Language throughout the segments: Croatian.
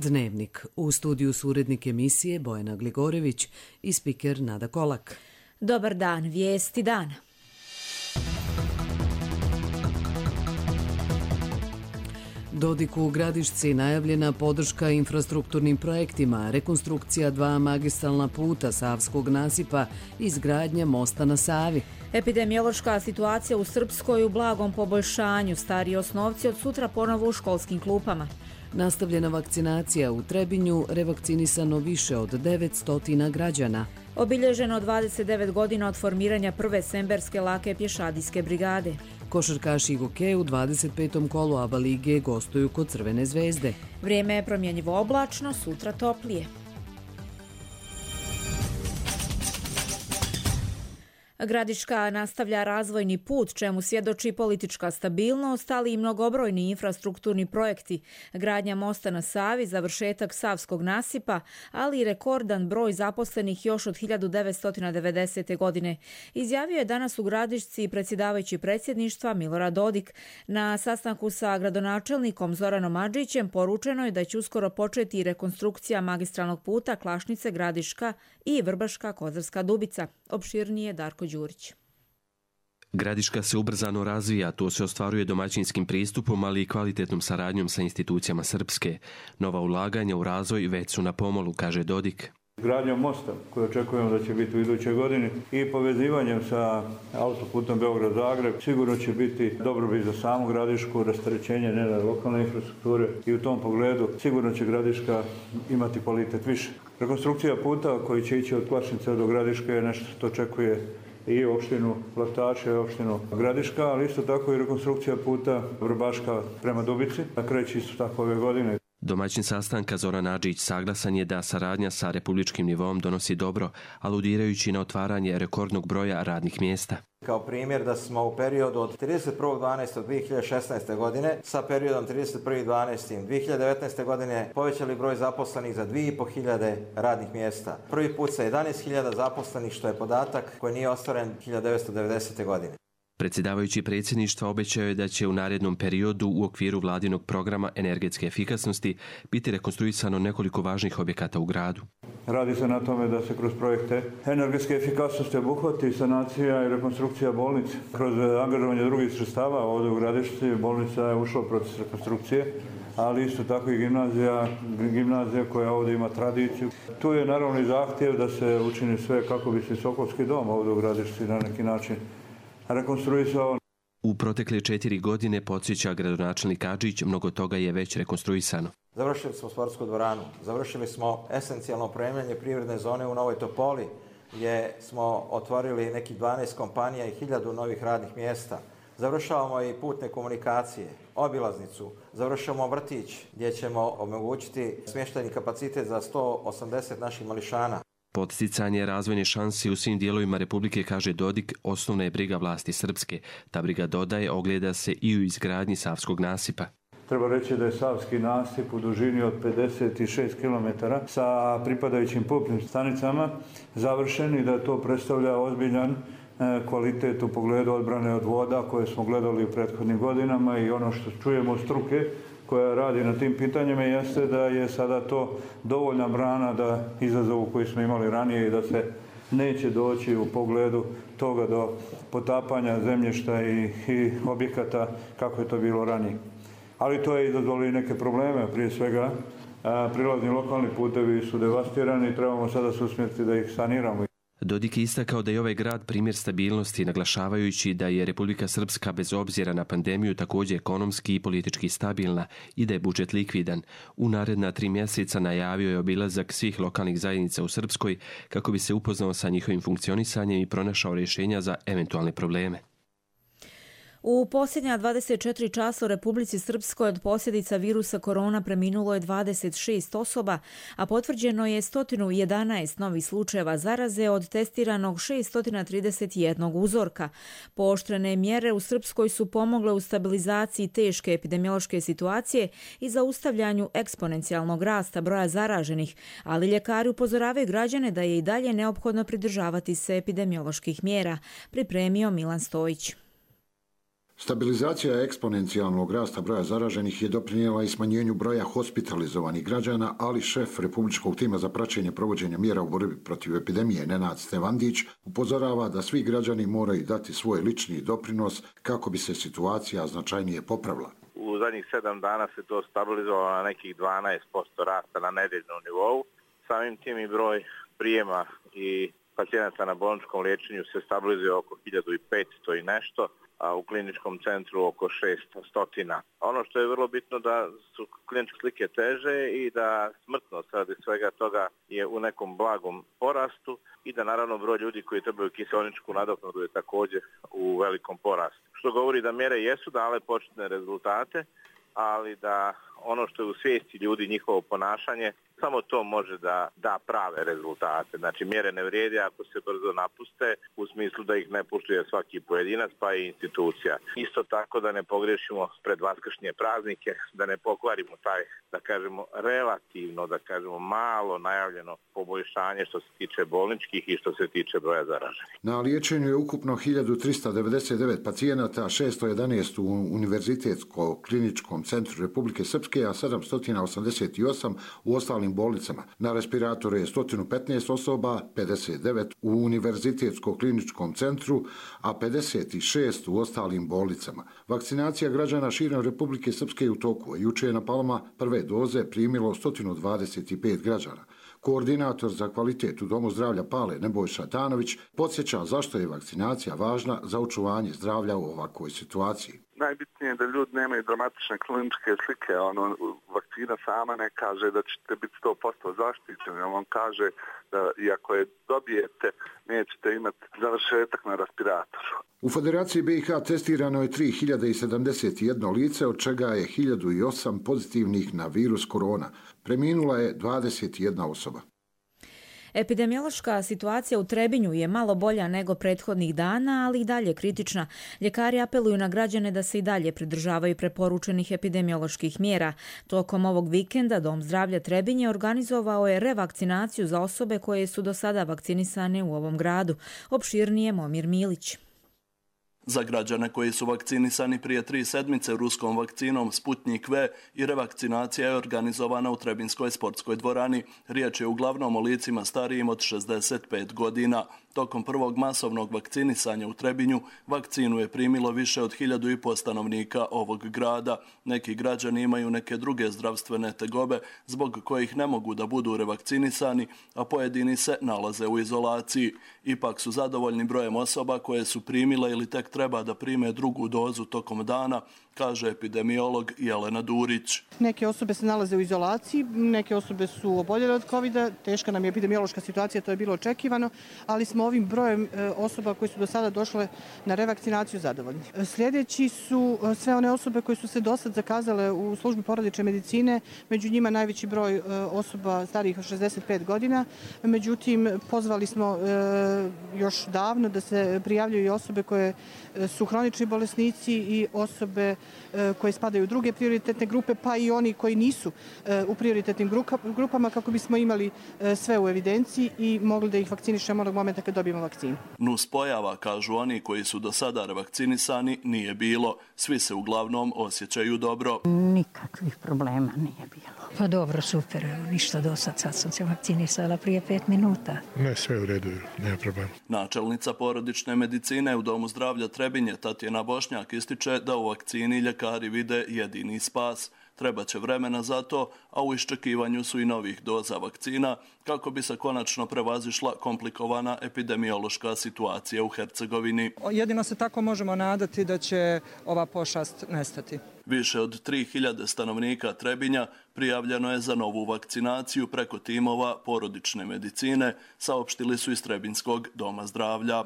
Dnevnik. U studiju su urednik emisije Bojana Gligorević i spiker Nada Kolak. Dobar dan, vijesti dana. Dodiku u Gradišci najavljena podrška infrastrukturnim projektima, rekonstrukcija 2 magistralna puta Savskog nasipa i izgradnja mosta na Savi. Epidemiološka situacija u Srpskoj u blagom poboljšanju, stariji osnovci od sutra ponovo u školskim klupama. Nastavljena vakcinacija u Trebinju, revakcinisano više od 900 građana. Obilježeno 29 godina od formiranja prve semberske lake pješadijske brigade. Košarkaši Goke u 25. kolu ABA lige gostuju kod Crvene zvezde. Vrijeme je promjenjivo oblačno, sutra toplije. Gradiška nastavlja razvojni put, čemu svjedoči politička stabilnost, ali i mnogobrojni infrastrukturni projekti, gradnja mosta na Savi, završetak Savskog nasipa, ali i rekordan broj zaposlenih još od 1990. godine. Izjavio je danas u Gradišci predsjedavajući predsjedništva Milorad Dodik. Na sastanku sa gradonačelnikom Zoranom Adžićem poručeno je da će uskoro početi rekonstrukcija magistralnog puta Klašnice-Gradiška i Vrbaška-Kozarska Dubica. Opširnije Darko Đurić. Gradiška se ubrzano razvija, to se ostvaruje domaćinskim pristupom, ali i kvalitetnom saradnjom sa institucijama Srpske. Nova ulaganja u razvoj već su na pomolu, kaže Dodik. Gradnjom mosta, koju očekujemo da će biti u idućoj godini, i povezivanjem sa autoputom Beograd-Zagreb, sigurno će biti dobrobit za samu Gradišku, rasterećenje njene lokalne infrastrukture i u tom pogledu sigurno će Gradiška imati kvalitet više. Rekonstrukcija puta koji će ići od Klašnice do Gradiške je nešto što očekuje i opštinu Vlataše i opštinu Gradiška, ali isto tako i rekonstrukcija puta Vrbaška prema Dubici, kreće isto tako ove godine. Domaćin sastanka Zoran Adžić saglasan je da saradnja sa republičkim nivom donosi dobro, aludirajući na otvaranje rekordnog broja radnih mjesta. Kao primjer da smo u periodu od 31.12.2016. godine sa periodom 31.12.2019. godine povećali broj zaposlenih za 2.500 radnih mjesta. Prvi put sa 11.000 zaposlenih, što je podatak koji nije ostvaren 1990. godine. Predsjedavajući predsjedništva obećao je da će u narednom periodu u okviru vladinog programa energetske efikasnosti biti rekonstruisano nekoliko važnih objekata u gradu. Radi se na tome da se kroz projekte energetske efikasnosti obuhvati sanacija i rekonstrukcija bolnice. Kroz angažovanje drugih sredstava ovdje u Gradišci bolnica je ušla u proces rekonstrukcije, ali isto tako i gimnazija koja ovdje ima tradiciju. Tu je naravno i zahtjev da se učini sve kako bi se Sokolski dom ovdje u Gradišci na neki način rekonstruisao. U protekle 4 godine, podsjeća gradonačelnik Adžić, mnogo toga je već rekonstruisano. Završili smo sportsku dvoranu, završili smo esencijalno opremanje privredne zone u Novoj Topoli, gdje smo otvorili nekih 12 kompanija i 1000 novih radnih mjesta. Završavamo i putne komunikacije, obilaznicu, završavamo vrtić gdje ćemo omogućiti smještajni kapacitet za 180 naših mališana. Podsticanje razvojne šanse u svim dijelovima Republike, kaže Dodik, osnovna je briga vlasti Srpske. Ta briga, dodaje, ogleda se i u izgradnji Savskog nasipa. Treba reći da je Savski nasip u dužini od 56 km sa pripadajućim pumpnim stanicama završen i da to predstavlja ozbiljan kvalitet u pogledu odbrane od voda koje smo gledali u prethodnim godinama, i ono što čujemo od struke koja radi na tim pitanjima jeste da je sada to dovoljna brana da izazovu koji smo imali ranije i da se neće doći u pogledu toga do potapanja zemljišta i objekata kako je to bilo ranije. Ali to je izazvalo i neke probleme, prije svega prilazni lokalni putevi su devastirani i trebamo sada se usmjeriti da ih saniramo. Dodik je istakao da je ovaj grad primjer stabilnosti, naglašavajući da je Republika Srpska bez obzira na pandemiju također ekonomski i politički stabilna i da je budžet likvidan. U naredna 3 mjeseca najavio je obilazak svih lokalnih zajednica u Srpskoj kako bi se upoznao sa njihovim funkcionisanjem i pronašao rješenja za eventualne probleme. U posljednja 24 časa u Republici Srpskoj od posljedica virusa korona preminulo je 26 osoba, a potvrđeno je 111 novih slučajeva zaraze od testiranog 631 uzorka. Pooštrene mjere u Srpskoj su pomogle u stabilizaciji teške epidemiološke situacije i zaustavljanju eksponencijalnog rasta broja zaraženih, ali ljekari upozoravaju građane da je i dalje neophodno pridržavati se epidemioloških mjera, pripremio Milan Stojić. Stabilizacija eksponencijalnog rasta broja zaraženih je doprinijela i smanjenju broja hospitalizovanih građana, ali šef Republičkog tima za praćenje provođenja mjera u borbi protiv epidemije Nenad Stevandić upozorava da svi građani moraju dati svoj lični doprinos kako bi se situacija značajnije popravila. U zadnjih 7 dana se to stabilizovalo na nekih 12% rasta na nedeljnom nivou. Samim tim i broj prijema i pacijenata na bolničkom liječenju se stabilizuje oko 1500 i nešto, a u kliničkom centru oko 600. Ono što je vrlo bitno da su kliničke slike teže i da smrtnost radi svega toga je u nekom blagom porastu i da naravno broj ljudi koji trebaju kiseoničku nadoknadu je također u velikom porastu. Što govori da mjere jesu dale početne rezultate, ali da ono što je u svijesti ljudi, njihovo ponašanje, samo to može da da prave rezultate. Znači mjere ne vrijede ako se brzo napuste, u smislu da ih ne poštuje svaki pojedinac pa i institucija. Isto tako da ne pogrešimo pred vaskršnje praznike, da ne pokvarimo taj, da kažemo, relativno, da kažemo, malo najavljeno poboljšanje što se tiče bolničkih i što se tiče broja zaraženih. Na liječenju je ukupno 1399 pacijenata, 611 u Univerzitetskom-kliničkom centru Republike Srpske, a 788 u ostalim bolnicama. Na respiratoru je 115 osoba, 59 u Univerzitetsko-kliničkom centru, a 56 u ostalim bolnicama. Vakcinacija građana širom Republike Srpske je u toku. Juče je na Palama prve doze primilo 125 građana. Koordinator za kvalitet u Domu zdravlja Pale Nebojša Danović podsjeća zašto je vakcinacija važna za očuvanje zdravlja u ovakvoj situaciji. Najbitnije je da ljudi nemaju dramatične kliničke slike. Vakcina sama ne kaže da ćete biti 100% zaštićeni. On kaže da iako je dobijete, nećete imati završetak na respiratoru. U Federaciji BiH testirano je 3071 lice, od čega je 1008 pozitivnih na virus korona. Preminula je 21 osoba. Epidemiološka situacija u Trebinju je malo bolja nego prethodnih dana, ali i dalje kritična. Ljekari apeluju na građane da se i dalje pridržavaju preporučenih epidemioloških mjera. Tokom ovog vikenda Dom zdravlja Trebinje organizovao je revakcinaciju za osobe koje su do sada vakcinisane u ovom gradu. Opširnije Momir Milić. Za građane koji su vakcinisani prije 3 sedmice ruskom vakcinom Sputnik V i revakcinacija je organizovana u Trebinskoj sportskoj dvorani. Riječ je uglavnom o licima starijim od 65 godina. Tokom prvog masovnog vakcinisanja u Trebinju vakcinu je primilo više od 1500 stanovnika ovog grada. Neki građani imaju neke druge zdravstvene tegobe zbog kojih ne mogu da budu revakcinisani, a pojedini se nalaze u izolaciji. Ipak su zadovoljni brojem osoba koje su primile ili tek treba da prime drugu dozu tokom dana, kaže epidemiolog Jelena Durić. Neke osobe se nalaze u izolaciji, neke osobe su oboljele od COVID-a, teška nam je epidemiološka situacija, to je bilo očekivano, ali smo ovim brojem osoba koji su do sada došle na revakcinaciju zadovoljni. Sljedeći su sve one osobe koje su se do sad zakazale u službi porodične medicine, među njima najveći broj osoba starijih od 65 godina, međutim pozvali smo još davno da se prijavljuju i osobe koje su hronični bolesnici i osobe koje spadaju u druge prioritetne grupe, pa i oni koji nisu u prioritetnim grupama, kako bismo imali sve u evidenciji i mogli da ih vakcinišemo onog momenta kad dobijemo vakcinu. Nuspojava, kažu oni koji su do sada revakcinisani, nije bilo. Svi se uglavnom osjećaju dobro. Nikakvih problema nije bilo. Pa dobro, super, ništa do sad sam se vakcinisala prije 5 minuta. Ne, sve u redu, nema problema. Načelnica porodične medicine u Domu zdravlja Trebinje, Tatjana Bošnjak, ističe da u vakcini ljekari vide jedini spas. Trebaće vremena za to, a u iščekivanju su i novih doza vakcina kako bi se konačno prevazišla komplikovana epidemiološka situacija u Hercegovini. Jedino se tako možemo nadati da će ova pošast nestati. Više od 3000 stanovnika Trebinja prijavljeno je za novu vakcinaciju preko timova porodične medicine, saopštili su iz Trebinskog doma zdravlja.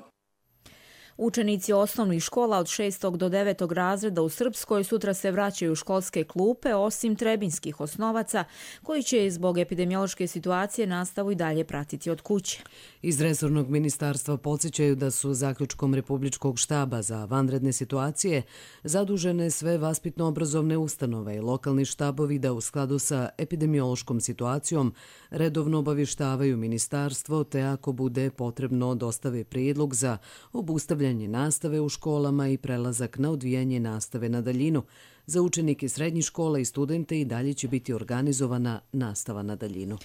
Učenici osnovnih škola od 6. do 9. razreda u Srpskoj sutra se vraćaju u školske klupe, osim trebinskih osnovaca, koji će zbog epidemiološke situacije nastavu i dalje pratiti od kuće. Iz resornog ministarstva podsjećaju da su zaključkom Republičkog štaba za vanredne situacije zadužene sve vaspitno-obrazovne ustanove i lokalni štabovi da u skladu sa epidemiološkom situacijom redovno obavještavaju ministarstvo, te ako bude potrebno dostave prijedlog za obustavljanje nastavljanje nastave u školama i prelazak na odvijanje nastave na daljinu. Za učenike srednjih škola i studente i dalje će biti organizovana nastava na daljinu.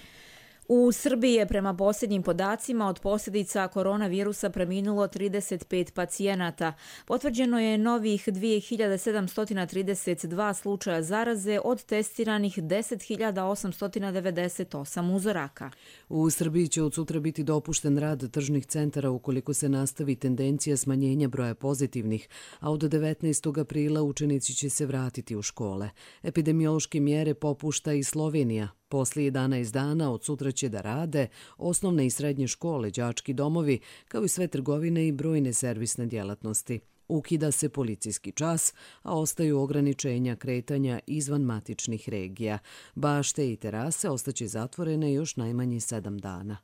U Srbiji je prema posljednjim podacima od posljedica koronavirusa preminulo 35 pacijenata. Potvrđeno je novih 2732 slučaja zaraze od testiranih 10.898 uzoraka. U Srbiji će od sutra biti dopušten rad tržnih centara ukoliko se nastavi tendencija smanjenja broja pozitivnih, a od 19. aprila učenici će se vratiti u škole. Epidemiološke mjere popušta i Slovenija. Poslije 11 dana od sutra će da rade osnovne i srednje škole, đački domovi, kao i sve trgovine i brojne servisne djelatnosti. Ukida se policijski čas, a ostaju ograničenja kretanja izvan matičnih regija. Bašte i terase ostaće zatvorene još najmanje 7 dana.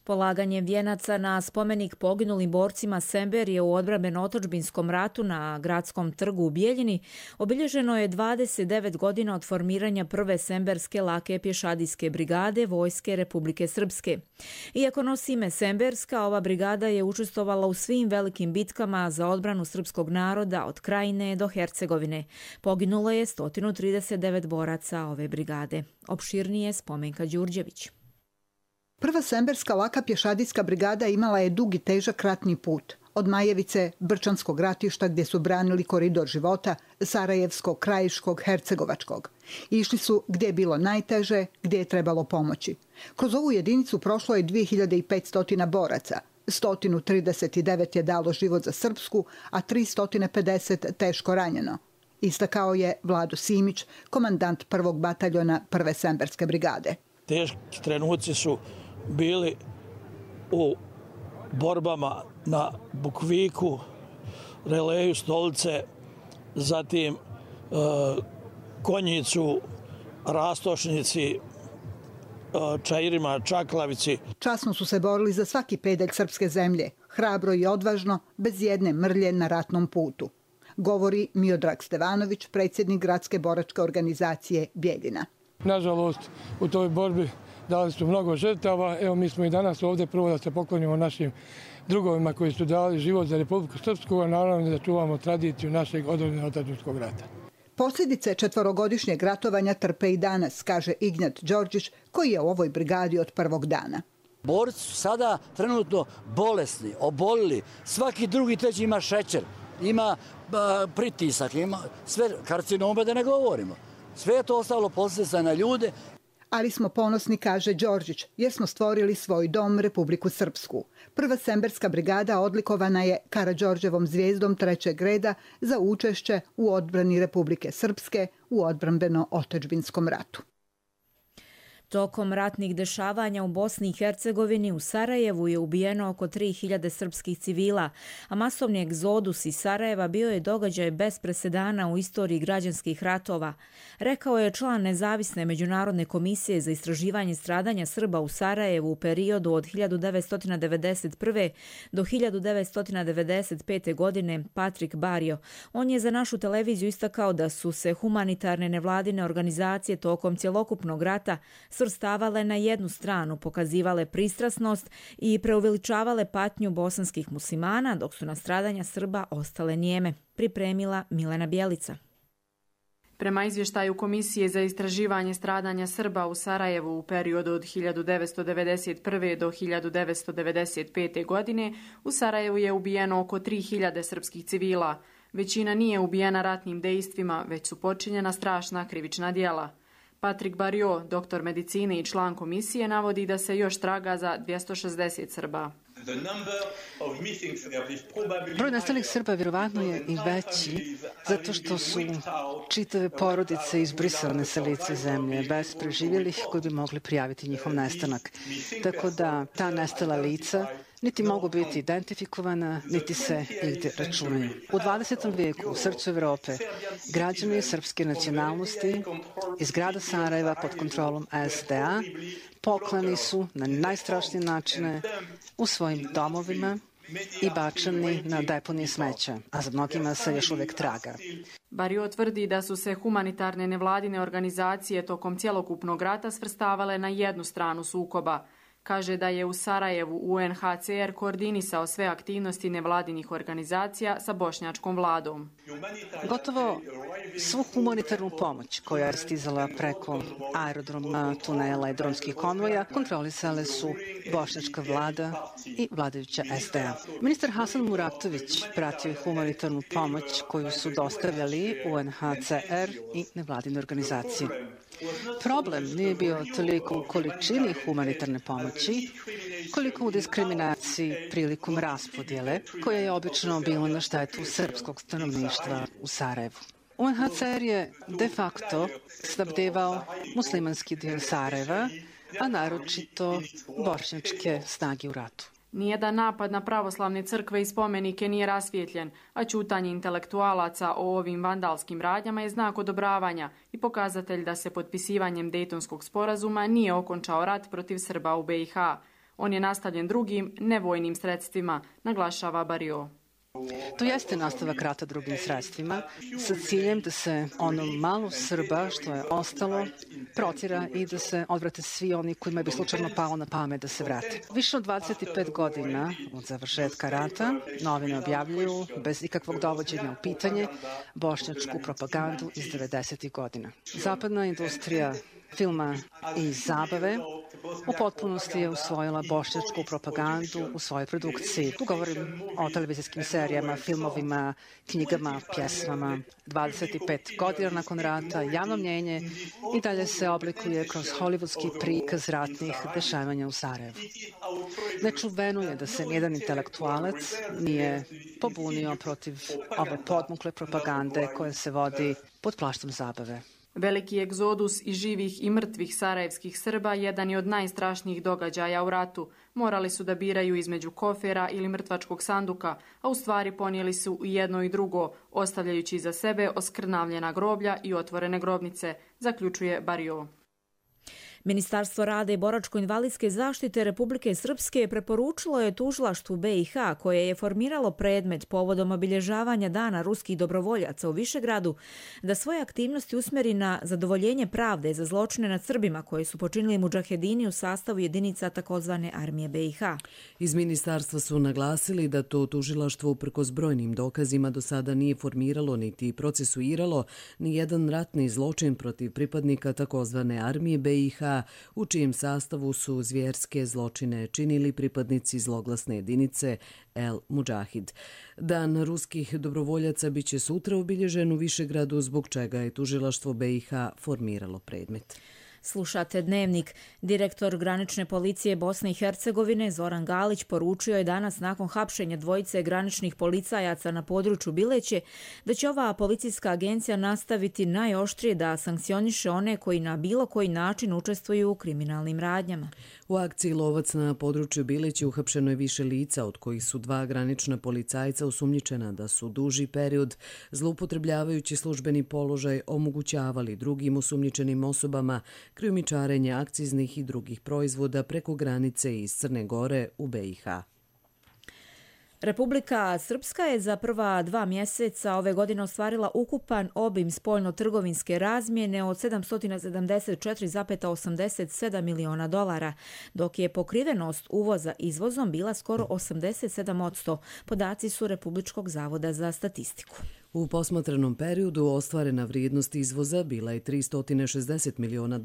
Polaganje vijenaca na spomenik poginulim borcima Semberije u odbrambeno-otadžbinskom ratu na Gradskom trgu u Bijeljini obilježeno je 29 godina od formiranja prve Semberske lake pješadijske brigade Vojske Republike Srpske. Iako nosi ime Semberska, ova brigada je učestvovala u svim velikim bitkama za odbranu srpskog naroda od Krajine do Hercegovine. Poginulo je 139 boraca ove brigade. Opširnije Spomenka Đurđević. Prva Semberska laka pješadijska brigada imala je dug i težak ratni put. Od Majevice, Brčanskog ratišta gdje su branili koridor života, Sarajevskog, Krajiškog, Hercegovačkog. Išli su gdje je bilo najteže, gdje je trebalo pomoći. Kroz ovu jedinicu prošlo je 2500 boraca. 139 je dalo život za Srpsku, a 350 teško ranjeno. Istakao je Vlado Simić, komandant prvog bataljona prve Semberske brigade. Teški trenuci su bili u borbama na Bukviku, Releju, Stolice, zatim Konjicu, Rastošnici, Čairima, Čaklavici. Časno su se borili za svaki pedalj srpske zemlje, hrabro i odvažno, bez jedne mrlje na ratnom putu. Govori Miodrag Stevanović, predsjednik Gradske boračke organizacije Bijeljina. Nažalost, u toj borbi dali su mnogo žrtava. Evo, mi smo i danas ovdje prvo da se poklonimo našim drugovima koji su dali život za Republiku Srpsku, a naravno da čuvamo tradiciju našeg odbrambeno-otadžbinskog rata. Posljedice 4-godišnjeg ratovanja trpe i danas, kaže Ignjat Đorđić, koji je u ovoj brigadi od prvog dana. Borci su sada trenutno bolesni, obolili. Svaki drugi, treći ima šećer, ima pritisak, ima sve karcinome da ne govorimo. Sve je to ostalo posljedica na ljude. Ali smo ponosni, kaže Đorđić, jer smo stvorili svoj dom, Republiku Srpsku. Prva Semberska brigada odlikovana je Karađorđevom zvijezdom 3. reda za učešće u odbrani Republike Srpske u odbrambeno-otadžbinskom ratu. Tokom ratnih dešavanja u Bosni i Hercegovini u Sarajevu je ubijeno oko 3000 srpskih civila, a masovni egzodus iz Sarajeva bio je događaj bez presedana u istoriji građanskih ratova, rekao je član nezavisne međunarodne komisije za istraživanje stradanja Srba u Sarajevu u periodu od 1991. do 1995. godine Patrik Barjo. On je za našu televiziju istakao da su se humanitarne nevladine organizacije tokom cjelokupnog rata svrstavale na jednu stranu, pokazivale pristrasnost i preuveličavale patnju bosanskih muslimana, dok su na stradanja Srba ostale nijeme. Pripremila Milena Bjelica. Prema izvještaju Komisije za istraživanje stradanja Srba u Sarajevu u periodu od 1991. do 1995. godine, u Sarajevu je ubijeno oko 3000 srpskih civila. Većina nije ubijena ratnim dejstvima, već su počinjena strašna krivična djela. Patrik Barjo, doktor medicine i član komisije, navodi da se još traga za 260 Srba. Broj nestalih Srba vjerovatno je i veći zato što su čitave porodice izbrisane sa lica zemlje bez preživjelih koji bi mogli prijaviti njihov nestanak. Tako da ta nestala lica niti mogu biti identifikovana, niti se igdje računaju. U 20. vijeku u srcu Evrope građani srpske nacionalnosti iz grada Sarajeva pod kontrolom SDA poklani su na najstrašnije načine u svojim domovima i bačeni na deponije smeća, a za mnogima se još uvijek traga. Barjo tvrdi da su se humanitarne nevladine organizacije tokom cjelokupnog rata svrstavale na jednu stranu sukoba. Kaže da je u Sarajevu UNHCR koordinisao sve aktivnosti nevladinih organizacija sa bošnjačkom vladom. Gotovo svu humanitarnu pomoć koja je stizala preko aerodroma, tunela i dronskih konvoja kontrolisale su bošnjačka vlada i vladajuća SDA. Ministar Hasan Muratović pratio je humanitarnu pomoć koju su dostavljali UNHCR i nevladine organizacije. Problem nije bio toliko u količini humanitarne pomoći, koliko u diskriminaciji prilikom raspodjele, koja je obično bila na štetu srpskog stanovništva u Sarajevu. UNHCR je de facto snabdevao muslimanski dio Sarajeva, a naročito bošnjačke snage u ratu. Nijedan napad na pravoslavne crkve i spomenike nije rasvijetljen, a ćutanje intelektualaca o ovim vandalskim radnjama je znak odobravanja i pokazatelj da se potpisivanjem Dejtonskog sporazuma nije okončao rat protiv Srba u BiH. On je nastavljen drugim, nevojnim sredstvima, naglašava Barrio. To jeste nastavak rata drugim sredstvima sa ciljem da se ono malo Srba što je ostalo protjera i da se odvrate svi oni kojima bi slučajno palo na pamet da se vrate. Više od 25 godina od završetka rata novine objavljuju bez ikakvog dovođenja u pitanje bošnjačku propagandu iz 90. godina. Zapadna industrija filma i zabave u potpunosti je usvojila bošnjačku propagandu u svojoj produkciji. Tu govorim o televizijskim serijama, filmovima, knjigama, pjesmama. 25 godina nakon rata javno mnjenje i dalje se oblikuje kroz hollywoodski prikaz ratnih dešavanja u Sarajevu. Nečuveno je da se nijedan intelektualac nije pobunio protiv ove podmukle propagande koja se vodi pod plaštom zabave. Veliki egzodus i živih i mrtvih sarajevskih Srba jedan je od najstrašnijih događaja u ratu. Morali su da biraju između kofera ili mrtvačkog sanduka, a u stvari ponijeli su i jedno i drugo, ostavljajući iza sebe oskrnavljena groblja i otvorene grobnice, zaključuje Barrio. Ministarstvo rada i boračko-invalidske zaštite Republike Srpske preporučilo je tužilaštvu BiH, koje je formiralo predmet povodom obilježavanja Dana ruskih dobrovoljaca u Višegradu, da svoje aktivnosti usmeri na zadovoljenje pravde za zločine nad Srbima koje su počinili mudžahedini u sastavu jedinica takozvane armije BiH. Iz ministarstva su naglasili da to tužilaštvo uprkos brojnim dokazima do sada nije formiralo niti procesuiralo ni jedan ratni zločin protiv pripadnika takozvane armije BiH, u čijem sastavu su zvjerske zločine činili pripadnici zloglasne jedinice El Mudžahid. Dan ruskih dobrovoljaca biće sutra obilježen u Višegradu, zbog čega je tužilaštvo BiH formiralo predmet. Slušate Dnevnik. Direktor granične policije Bosne i Hercegovine Zoran Galić poručio je danas nakon hapšenja dvojice graničnih policajaca na području Bileće da će ova policijska agencija nastaviti najoštrije da sankcioniše one koji na bilo koji način učestvuju u kriminalnim radnjama. U akciji Lovac na području Bileće uhapšeno je više lica, od kojih su 2 granična policajca osumnjičena da su duži period, zloupotrebljavajući službeni položaj, omogućavali drugim osumnjičenim osobama krijumčarenje akciznih i drugih proizvoda preko granice iz Crne Gore u BiH. Republika Srpska je za prva 2 mjeseca ove godine ostvarila ukupan obim spoljno-trgovinske razmjene od $774,87 miliona, dok je pokrivenost uvoza izvozom bila skoro 87%. Podaci su Republičkog zavoda za statistiku. U posmatranom periodu ostvarena vrijednost izvoza bila je $360 miliona,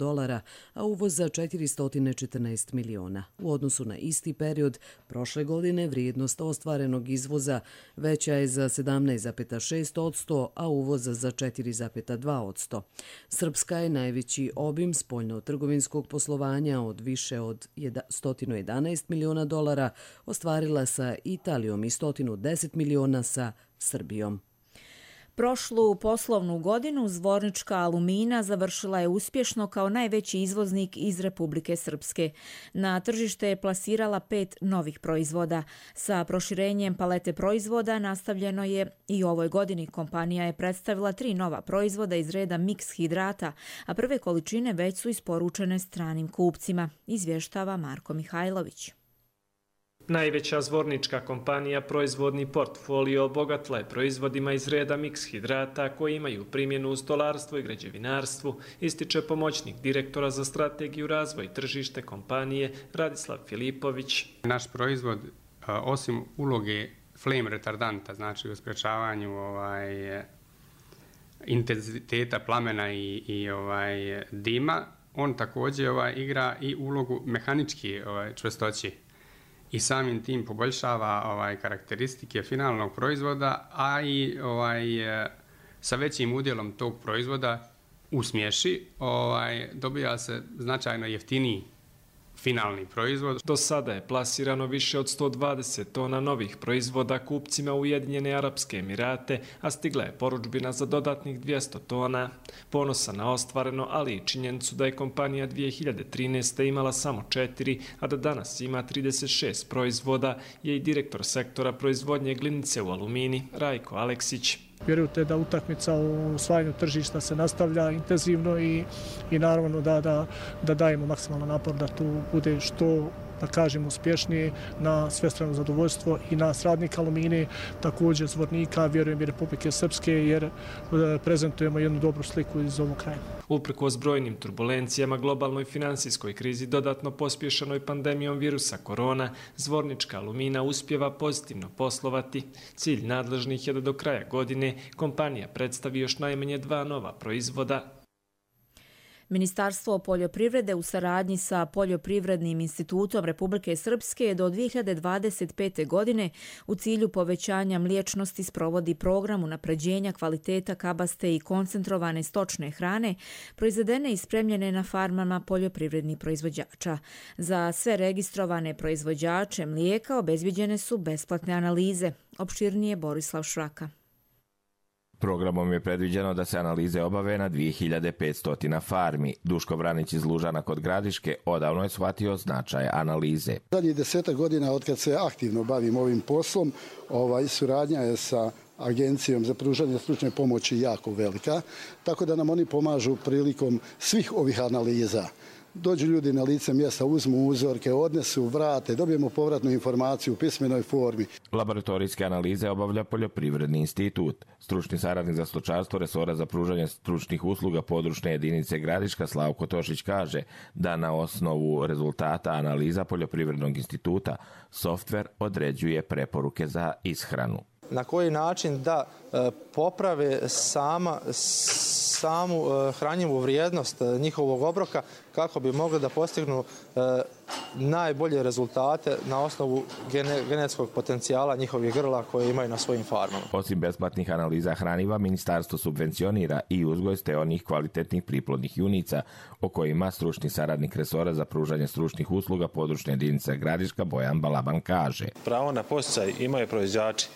a uvoza $414 miliona. U odnosu na isti period prošle godine vrijednost ostvarenog izvoza veća je za 17,6%, a uvoza za 4,2%. Srpska je najveći obim spoljno-trgovinskog poslovanja od više od $111 miliona ostvarila sa Italijom i 110 miliona sa Srbijom. Prošlu poslovnu godinu Zvornička Alumina završila je uspješno kao najveći izvoznik iz Republike Srpske. Na tržište je plasirala 5 novih proizvoda. Sa proširenjem palete proizvoda nastavljeno je i u ovoj godini. Kompanija je predstavila 3 nova proizvoda iz reda miks hidrata, a prve količine već su isporučene stranim kupcima, izvještava Marko Mihajlović. Najveća zvornička kompanija proizvodni portfolio obogatila je proizvodima iz reda miks hidrata koji imaju primjenu u stolarstvu i građevinarstvu, ističe pomoćnik direktora za strategiju razvoj i tržište kompanije Radislav Filipović. Naš proizvod, osim uloge flame retardanta, znači u sprečavanju intenziteta plamena i dima, on također igra i ulogu mehaničke čvrstoće i samim tim poboljšava karakteristike finalnog proizvoda, a i sa većim udjelom tog proizvoda u smješi dobija se značajno jeftiniji finalni proizvod. Do sada je plasirano više od 120 tona novih proizvoda kupcima Ujedinjene Arapske Emirate, a stigla je poručbina za dodatnih 200 tona. Ponosan na ostvareno, ali i činjenicu da je kompanija 2013. imala samo 4, a da danas ima 36 proizvoda, je i direktor sektora proizvodnje glinice u alumini Rajko Aleksić. Vjerujte da utakmica u osvajanju tržišta se nastavlja intenzivno i naravno da dajemo maksimalan napor da tu bude što, da kažem, uspješnije na svestrano zadovoljstvo i nas radnika Alumini, također zvornika, vjerujem i Republike Srpske, jer prezentujemo jednu dobru sliku iz ovog kraja. Uprkos brojnim turbulencijama, globalnoj finansijskoj krizi, dodatno pospješanoj pandemijom virusa korona, zvornička Alumina uspjeva pozitivno poslovati. Cilj nadležnih je da do kraja godine kompanija predstavi još najmanje 2 nova proizvoda. Ministarstvo poljoprivrede u saradnji sa Poljoprivrednim institutom Republike Srpske do 2025. godine u cilju povećanja mliječnosti sprovodi program unapređenja kvaliteta kabaste i koncentrovane stočne hrane proizvedene i spremljene na farmama poljoprivrednih proizvođača. Za sve registrovane proizvođače mlijeka obezbijeđene su besplatne analize. Opširnije Borislav Šraka. Programom je predviđeno da se analize obave na 2500 farmi. Duško Vranić iz Lužana kod Gradiške odavno je shvatio značaj analize. Zadnjih 10 godina od kad se aktivno bavim ovim poslom, suradnja je sa Agencijom za pružanje stručne pomoći jako velika, tako da nam oni pomažu prilikom svih ovih analiza. Dođu ljudi na lice mjesta, uzmu uzorke, odnesu, vrate, dobijemo povratnu informaciju u pismenoj formi. Laboratorijske analize obavlja Poljoprivredni institut. Stručni saradnik za stočarstvo resora za pružanje stručnih usluga područne jedinice Gradiška Slavko Tošić kaže da na osnovu rezultata analiza Poljoprivrednog instituta softver određuje preporuke za ishranu. Na koji način da poprave samu hranjivu vrijednost njihovog obroka kako bi mogli da postignu najbolje rezultate na osnovu genetskog potencijala njihovih grla koje imaju na svojim farmama. Osim besplatnih analiza hraniva, ministarstvo subvencionira i uzgoj steonih kvalitetnih priplodnih junica, o kojima stručni saradnik resora za pružanje stručnih usluga područne jedinice Gradiška Bojan Balaban kaže. Pravo na podsticaj imaju proizvođači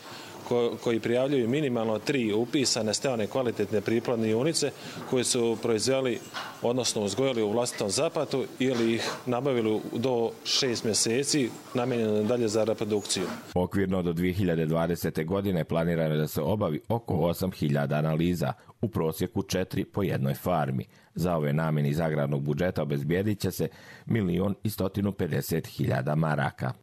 koji prijavljuju minimalno 3 upisane steone kvalitetne priplodne junice koje su proizveli, odnosno uzgojili u vlastitom zapatu ili ih nabavili do 6 mjeseci namijenjeno dalje za reprodukciju. Okvirno do 2020. godine planirano da se obavi oko 8000 analiza, u prosjeku 4 po jednoj farmi. Za ove namjene iz agrarnog budžeta obezbijedit će se 1.150.000 maraka.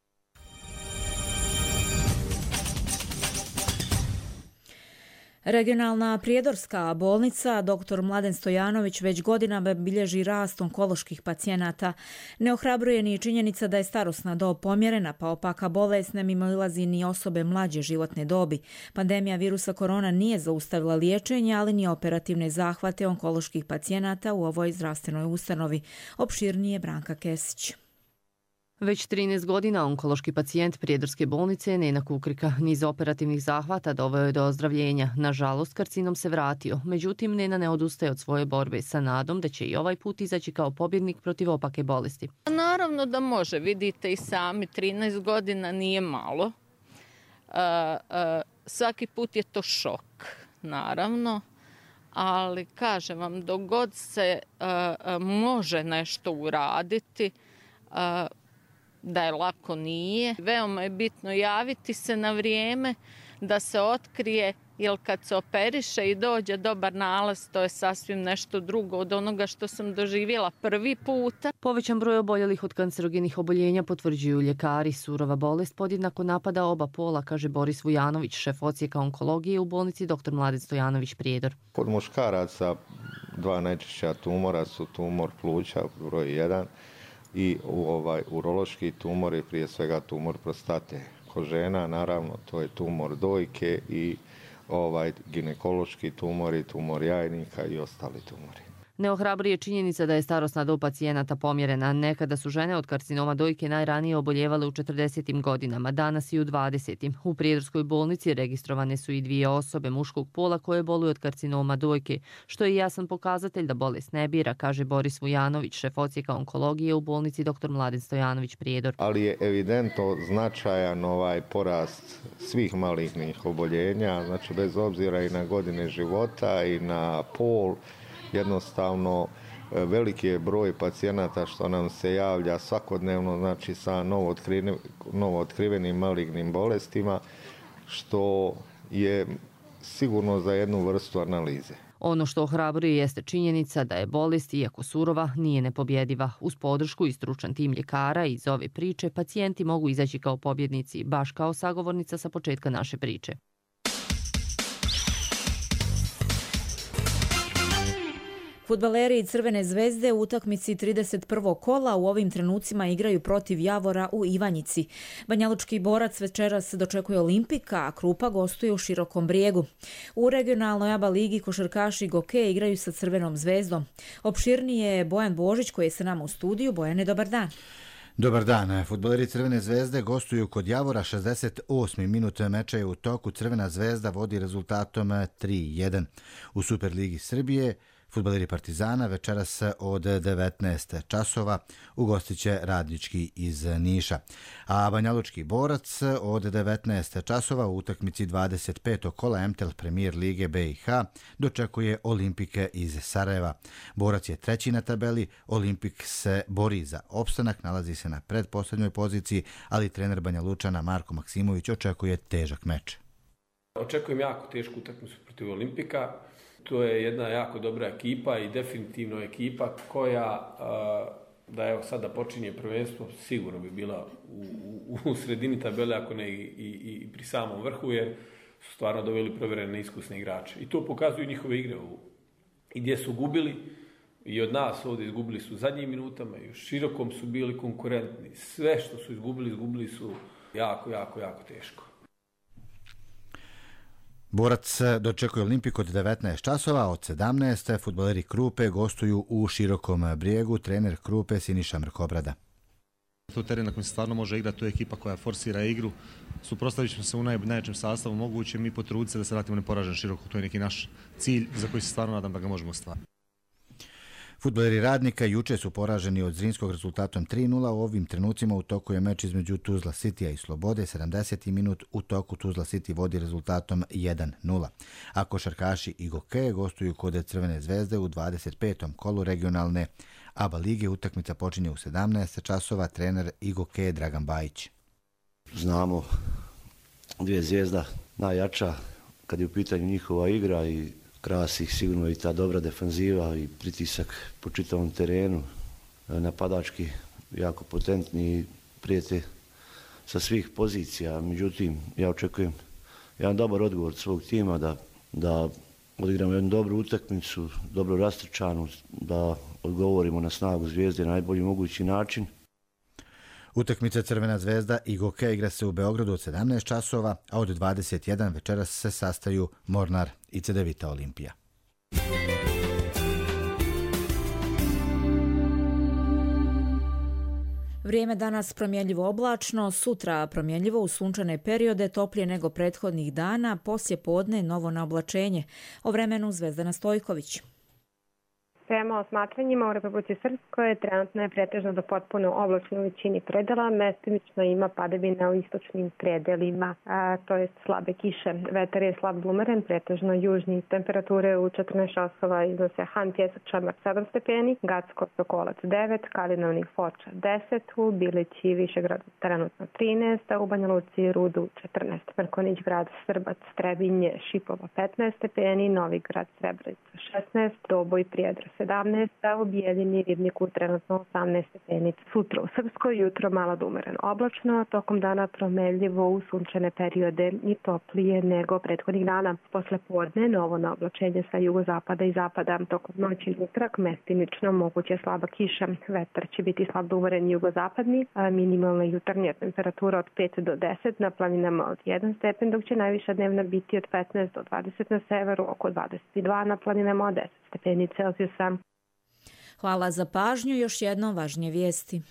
Regionalna prijedorska bolnica dr. Mladen Stojanović već godinama bilježi rast onkoloških pacijenata. Ne ohrabruje ni činjenica da je starosna dob pomjerena, pa opaka bolest ne mimoilazi ni osobe mlađe životne dobi. Pandemija virusa korona nije zaustavila liječenje, ali ni operativne zahvate onkoloških pacijenata u ovoj zdravstvenoj ustanovi. Opširnije Branka Kesić. Već 13 godina onkološki pacijent Prijedorske bolnice Nena Kukrika niz operativnih zahvata doveo je do ozdravljenja. Nažalost, karcinom se vratio. Međutim, Nena ne odustaje od svoje borbe sa nadom da će i ovaj put izaći kao pobjednik protiv opake bolesti. Naravno da može. Vidite i sami, 13 godina nije malo. Svaki put je to šok, naravno. Ali, kažem vam, dok god se može nešto uraditi, da je lako nije. Veoma je bitno javiti se na vrijeme, da se otkrije jer kad se operiše i dođe dobar nalaz, to je sasvim nešto drugo od onoga što sam doživjela prvi puta. Povećan broj oboljelih od kancerogenih oboljenja potvrđuju ljekari. Surova bolest podjednako napada oba pola, kaže Boris Vujanović, šef odsjeka onkologije u bolnici dr. Mladen Stojanović Prijedor. Kod muškaraca dva najčešća tumora su tumor pluća, broj 1, i urološki tumor je prije svega tumor prostate. Kod žena, naravno, to je tumor dojke i ginekološki tumori, tumor jajnika i ostali tumori. Ne ohrabruje činjenica da je starosna dob pacijenata pomjerena. Nekada su žene od karcinoma dojke najranije oboljevale u 40. godinama, danas i u 20. U Prijedorskoj bolnici registrovane su i 2 osobe muškog pola koje boluju od karcinoma dojke, što je jasan pokazatelj da bolest ne bira, kaže Boris Vujanović, šef odsjeka onkologije u bolnici dr. Mladen Stojanović Prijedor. Ali je evidentno značajan porast svih malignih oboljenja, znači bez obzira i na godine života i na pol. Jednostavno, veliki je broj pacijenata što nam se javlja svakodnevno, znači sa novootkrivenim malignim bolestima, što je sigurno za jednu vrstu analize. Ono što ohrabruje jeste činjenica da je bolest, iako surova, nije nepobjediva. Uz podršku i stručan tim ljekara iz ove priče, pacijenti mogu izaći kao pobjednici, baš kao sagovornica sa početka naše priče. Fudbaleri Crvene zvezde u utakmici 31. kola u ovim trenucima igraju protiv Javora u Ivanjici. Banjalučki Borac večeras dočekuje Olimpika, a Krupa gostuje u Širokom Brijegu. U regionalnoj ABA ligi košarkaši Goke igraju sa Crvenom zvezdom. Opširnije je Bojan Božić koji je sa nama u studiju. Bojane, dobar dan. Dobar dan. Fudbaleri Crvene zvezde gostuju kod Javora. 68. minut meča je u toku. Crvena zvezda vodi rezultatom 3-1. U Superligi Srbije fudbaleri Partizana večeras od 19 časova ugostiće Radnički iz Niša. A Banjalučki Borac od 19 časova u utakmici 25. kola MTEL Premier Lige BiH dočekuje Olimpike iz Sarajeva. Borac je 3. na tabeli, Olimpik se bori za opstanak, nalazi se na predposlednjoj poziciji, ali trener Banjalučana Marko Maksimović očekuje težak meč. Očekujem jako tešku utakmicu protiv Olimpika. To je jedna jako dobra ekipa i definitivno ekipa koja, da evo sada počinje prvenstvo, sigurno bi bila u sredini tabele, ako ne i pri samom vrhu, jer su stvarno doveli provjerene iskusne igrače. I to pokazuju njihove igre i gdje su gubili. I od nas ovdje izgubili su u zadnjim minutama i u Širokom su bili konkurentni. Sve što su izgubili su jako teško. Borac dočekuje Olimpik od 19 časova, od 17. fudbaleri Krupe gostuju u Širokom Brijegu, trener Krupe Siniša Mrkobrada. To je teren na kojem se stvarno može igrati, to je ekipa koja forsira igru. Suprotstavit ćemo se u najjačem sastavu mogućem i potruditi se da se vratimo neporažen Široko. To je neki naš cilj za koji se stvarno nadam da ga možemo ostvariti. Fudbaleri Radnika juče su poraženi od Zrinskog rezultatom 3-0. U ovim trenucima u toku je meč između Tuzla Citya i Slobode. 70. minut u toku Tuzla City vodi rezultatom 1-0. A košarkaši i Goke gostuju kod Crvene zvezde u 25. kolu regionalne ABA lige. Utakmica počinje u 17 časova. Trener i Goke Dragan Bajić. Znamo, dvije zvijezda najjača kad je u pitanju njihova igra i krasi ih sigurno i ta dobra defanziva i pritisak po čitavom terenu, napadački jako potentni i prijete sa svih pozicija. Međutim, ja očekujem jedan dobar odgovor od svog tima da odigramo jednu dobru utakmicu, dobro rastrčanu, da odgovorimo na snagu zvijezde na najbolji mogući način. Utakmica Crvena zvezda i Goke igra se u Beogradu od 17 časova, a od 21 večeras se sastaju Mornar i Cedevita Olimpija. Vrijeme danas promjenljivo oblačno, sutra promjenljivo u sunčane periode, toplije nego prethodnih dana, poslije podne novo na oblačenje. O vremenu Zvezdana Stojković. Prema osmatranjima u Republici Srpskoj trenutno je pretežno do potpuno oblačno u većini predela, mestimično ima padavina u istočnim predelima, to je slabe kiše. Vetar je slab umeren, pretežno južni. Temperature u 14 časova iznose Han Pjesak Čamar 7 stepeni, Gacko Sokolac 9, Kalinovnik Foča 10, u Bilići Višegrad trenutno 13, a u Banja Luci Rudu 14, Mrkonić Grad Srbac Trebinje Šipova 15 stepeni, Novi Grad Srebrenica 16, Doboj Prijedra 17, a u Bijeljini Ribniku trenutno 18 stepeni. Sutra u Srpskoj jutro malo da umeren oblačno, tokom dana promenljivo u sunčane periode i toplije nego prethodnih dana. Posle podne novo na oblačenje sa jugozapada i zapada. Tokom noći utrak mestimično moguće slaba kiša. Vetar će biti slab da umeren jugozapadni, a minimalna jutarnja temperatura od 5 do 10, na planinama od 1 stepen, dok će najviša dnevna biti od 15 do 20 na severu, oko 22 na planinama od 10 stepeni Celzijusa. Hvala za pažnju. Još jednom važnije vijesti.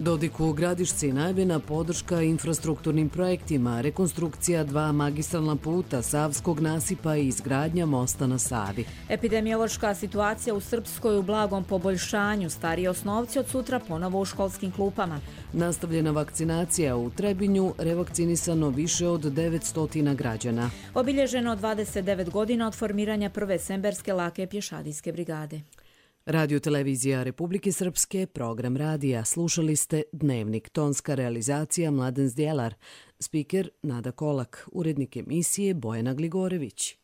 Dodiku u Gradišci najavljena podrška infrastrukturnim projektima, rekonstrukcija 2 magistralna puta, Savskog nasipa i izgradnja mosta na Savi. Epidemiološka situacija u Srpskoj u blagom poboljšanju, stariji osnovci od sutra ponovo u školskim klupama. Nastavljena vakcinacija u Trebinju, revakcinisano više od 900 građana. Obilježeno 29 godina od formiranja prve semberske lake pješadijske brigade. Radio Televizija Republike Srpske, program radija. Slušali ste Dnevnik, tonska realizacija Mladen Zdjelar, spiker Nada Kolak, urednik emisije Bojana Gligorević.